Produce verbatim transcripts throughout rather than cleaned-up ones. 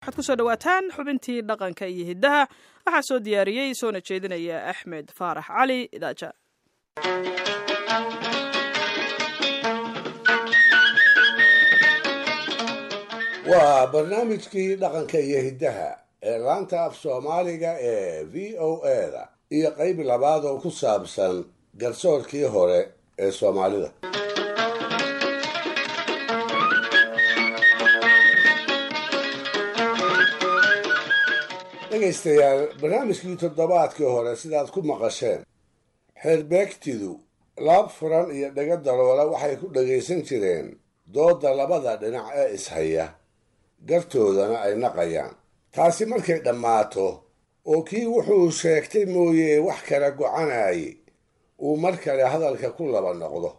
Waxaad kusoo dhawaataan xubintii dhaqanka iyo hiddaha. Waxaa soo diyaariyey soona jeedinaya Axmed Faarax Cali Idaaja. Waa barnaamijkii dhaqanka iyo hiddaha ee laanta af Soomaaliga ee V O A da iyo qayb labaad oo ku saabsan garsoorkii hore ee Soomaalida. Dhegaystayaal, barnaamijkii toddobaadkii hore sidaad ku maqasheen, xeerbeegtidu laab furan iyo dhaga daloola waxay ku dhagaysan jireen doodda labada dhinac ee ishaya, gartoodana ay naqayaan. Taasi markay dhammaato oo kii wuxuu sheegtay mooye wax kala gocanaaye uu mar kale hadalka ku laba noqdo,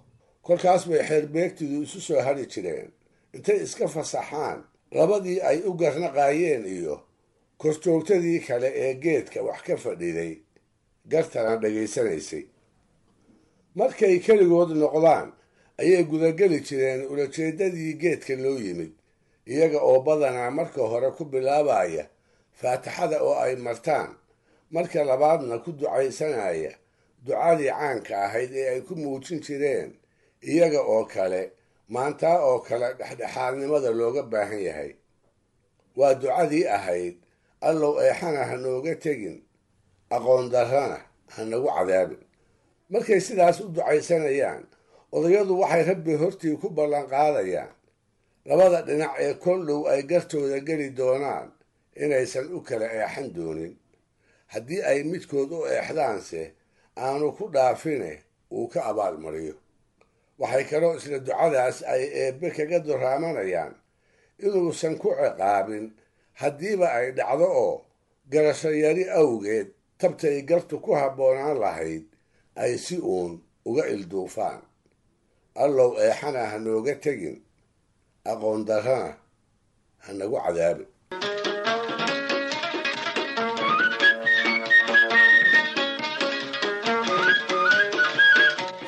kolkaas bay xeerbeegtidu isu soo hadhi jireen intay iska fasaxaan labadii ay u garnaqaayeen iyo korjoogtadii kale ee geedka wax ka fadhiday gartana dhegaysanaysay. Markay keligood noqdaan ayay gudageli jireen ulajeeddadii geedka loo yimid, iyaga oo badanaa marka hore ku bilaabaya faatixada oo ay martaan, marka labaadna ku ducaysanaya ducadii caanka ahayd ee ay ku muujin jireen iyaga oo kale maantaa oo kale dhexdhexaadnimada looga baahan yahay. Waa ducadii ahayd: "Allow eexana ha nooga tegin, aqoon darrana ha nagu cadaabin." Markay sidaas u ducaysanayaan, odayadu waxay Rabbi hortii ku ballanqaadayaan labada dhinac ee kol dhow ay gartooda geli doonaan inaysan u kala eexan doonin, haddii ay midkood u eexdaanse aanu ku dhaafine uu ka abaalmariyo. Waxay kaloo isla ducadaas ay Eebbe kaga duraamanayaan inuusan ku ciqaabin haddiiba ay dhacdo oo garasho yari awgeed tabtay gartu ku habboonaan lahayd ay si uun uga ilduufaan. "Allow eexana ha nooga tegin, aqoon darrana ha nagu cadaabin."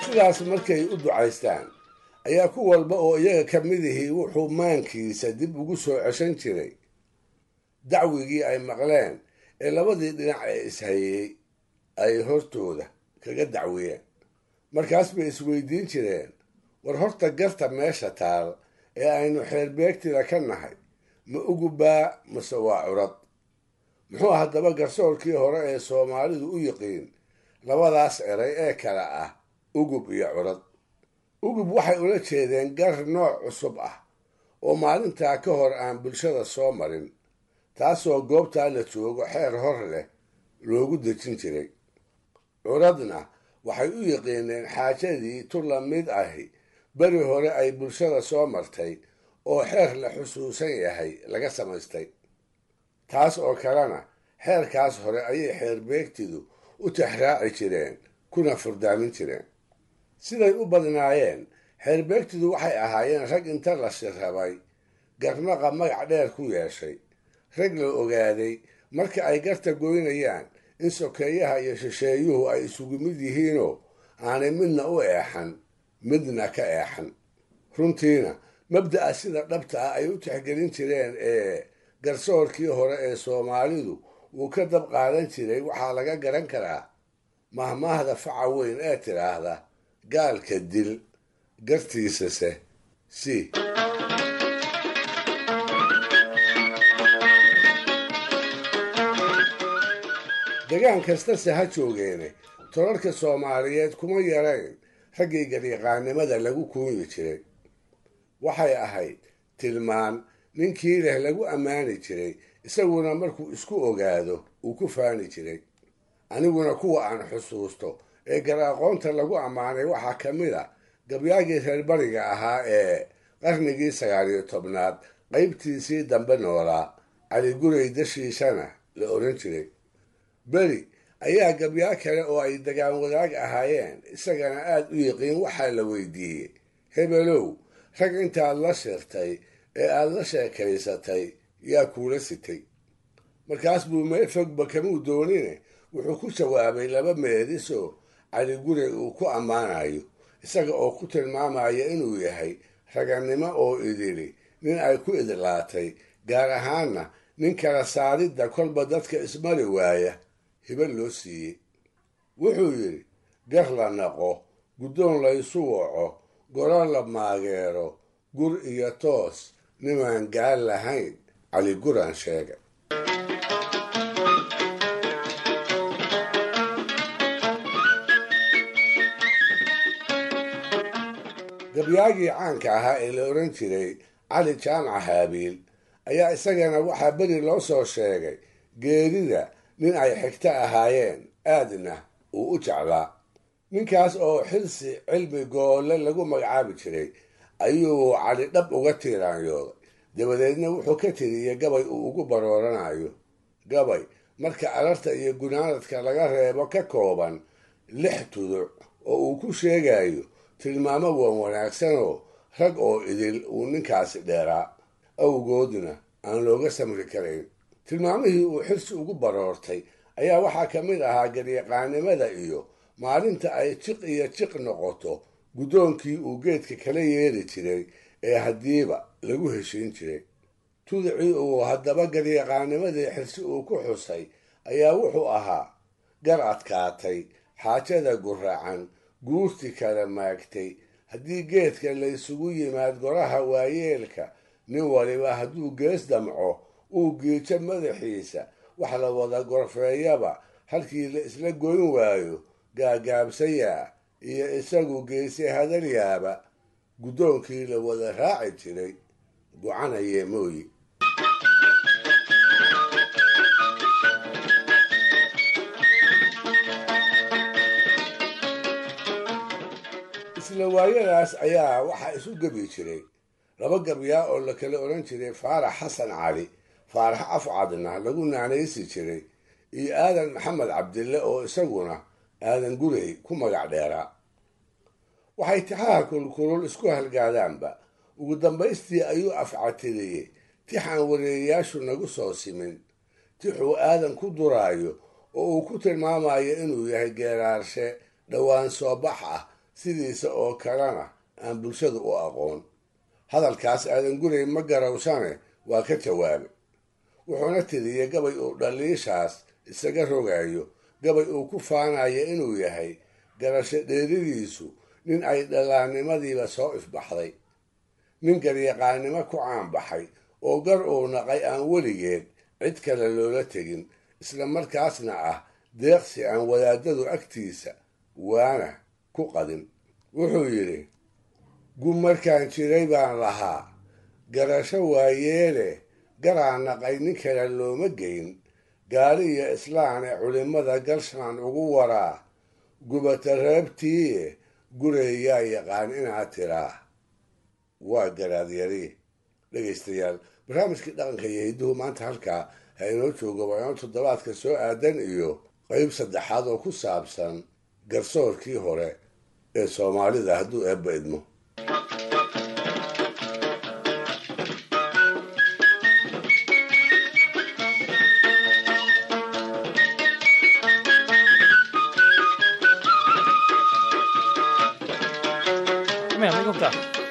Sidaas markay u ducaystaan ayaa ku walba oo iyaga ka midihii wuxuu maankiisa dib ugu soo ceshan jiray dacwigii ay maqleen ee labadii dhinac ee ishayey ay hortooda kaga dacwiyeen. Markaas bay isweydiin jireen: war horta garta meesha taal ee aynu xeerbeegtida ka nahay ma ugubaa mase waa curad? Muxuu haddaba garsoorkii hore ee Soomaalidu u yiqiin labadaas eray ee kale ah ugub iyo curad? Ugub waxay ula jeedeen gar nooc cusub ah oo maalintaa ka hor aan bulshada soo marin, taasoo goobtaa la joogo xeer hor leh loogu dejin jiray. Curadna waxay u yiqiineen xaajadii tu la mid ahi beri hore ay bulshada soo martay oo xeer la xusuusan yahay laga samaystay. Taas oo kalena xeerkaas hore ayay xeerbeegtidu u tixraaci jireen kuna furdaamin jireen. Siday u badnaayeen, xeerbeegtidu waxay ahaayeen rag inta la shirrabay garnaqa magac dheer ku yeeshay, rag la ogaaday marka ay garta goynayaan in sokeeyaha iyo shisheeyuhu ay isugu mid yihiinoo aanay midna u eexan midna ka eexan. Runtiina mabda'a sida dhabta ah ay u tixgelin jireen ee garsoorkii hore ee Soomaalidu uu ka dab qaadan jiray waxaa laga garan karaa mahmaahda faca weyn ee tidhaahda: "Gaalka dil, gartiisase si." Degaan kastase ha joogeene, tolalka Soomaaliyeed kuma yarayn raggii garyaqaannimada lagu kuunyi jiray. Waxay ahayd tilmaan ninkii leh lagu ammaani jiray, isaguna markuu isku ogaado uu ku faani jiray. Aniguna kuwa aan xusuusto ee gar aqoonta lagu ammaanay waxaa ka mid a gabyaagii reer bariga ahaa ee qarnigii sagaal iyo tobnaad qaybtiisii dambe noolaa, Cali Gurey Dashiishana la odhan jiray. Beri ayaa gabyaa kale oo ay degaan wadaag ahaayeen isagana aada u yiqiin waxaa la weydiiyey: "Hebelow, rag intaad la shirtay ee aada la sheekaysatay yaa kuula sitay?" Markaas buu meel fogba kamuu doonine wuxuu ku jawaabay laba meedisoo Cali Gurey uu ku ammaanayo, isaga oo ku tilmaamaya inuu yahay ragannimo oo idili nin ay ku idlaatay, gaar ahaanna Nin kala saaridda kolba dadka ismari waaya hibo loo siiyey. Wuxuu yidhi: gar la naqo, guddoon laysu waco, goro la maageero, gur iyo toos nimaan gaal lahayn, Cali Guraan sheegay. Gabyaagii caanka ahaa ee la odhan jiray Cali Jaamac Haabiil ayaa isagana waxaa beri loo soo sheegay geerida nin ay xigto ahaayeen, aadna uu u jeclaa. Ninkaas oo Xirsi Cilmi Goolle lagu magacaabi jiray ayuu Cali dhab uga tiiraanyooday. Dabadeedna wuxuu ka tiriyey gabay uu ugu barooranayo, gabay marka alarta iyo gunaanadka laga reebo ka kooban lix tuduc oo uu ku sheegayo tilmaamo wan wanaagsanoo rag oo idil uu ninkaasi dheeraa, awgoodna aan looga samri karayn. Tilmaamihii uu Xirsi ugu baroortay ayaa waxaa ka mid ahaa garyaqaanimada iyo maalinta ay jiq iyo jiq noqoto guddoonkii uu geedka kala yeeri jiray ee haddiiba lagu heshiin jiray. Tudicii uu haddaba garyaqaanimadii Xirsi uu ku xusay ayaa wuxuu ahaa: gar adkaatay, xaajada guracan, guurti kala maagtay, haddii geedka laysugu yimaad goraha waayeelka, nin waliba hadduu gees damco uu giijo madaxiisa, wax la wada gorfeeyaba halkii la isla goyn waayo, gaagaabsayaa iyo isagu geese hadalyaaba, guddoonkii la wada raaci jiray gocanayee mooyi. Isla waayadaas ayaa waxaa isu gebi jiray laba gabyaa oo la kala odhan jiray Faarax Xasan Cali, Faarax Afcadna lagu naanaysi jiray, iyo Aadan Maxamed Cabdille oo isaguna Aadan Gurey ku magac dheeraa. Waxay tixaha kulkulul isku halgaadaanba ugu dambaystii ayuu afcatiriyey tix aan wareeyayaashu nagu soo simin, tixuu Aadan ku duraayo oo uu ku tilmaamayo inuu yahay geeraarshe dhowaan soo bax ah, sidiisa oo kalena aan bulshadu u aqoon. Hadalkaas Aadan Gurey ma garawsane waa ka jawaabay, wuxuuna tiriyey gabay uu dhaliishaas isaga rogayo, gabay uu ku faanayo inuu yahay garasho dheeridiisu nin ay dhallaannimadiiba soo ifbaxday, nin garyaqaannimo ku caanbaxay oo gar uu naqay aan weligeed cid kale loola tegin, isla markaasna ah deeqsi aan wadaadadu agtiisa waana ku qadin. Wuxuu yidhi: gu markaan jiray baan lahaa garasho waayeele, garaan naqay nin kale looma geyn, gaali iyo islaane culimmada galshaan ugu waraa, gubata reebtiiye gureeyaa yaqaan inaad tiraa waa garaadyari. Dhegaystayaal, barnaamijkii dhaqanka iyo hidduhu maanta halkaa ha inoo joogo. Waa toddobaadka soo aadan iyo qeyb saddexaad oo ku saabsan garsoorkii hore ee Soomaalida, hadduu Eebba idmo. Kom igen, vi går upp där.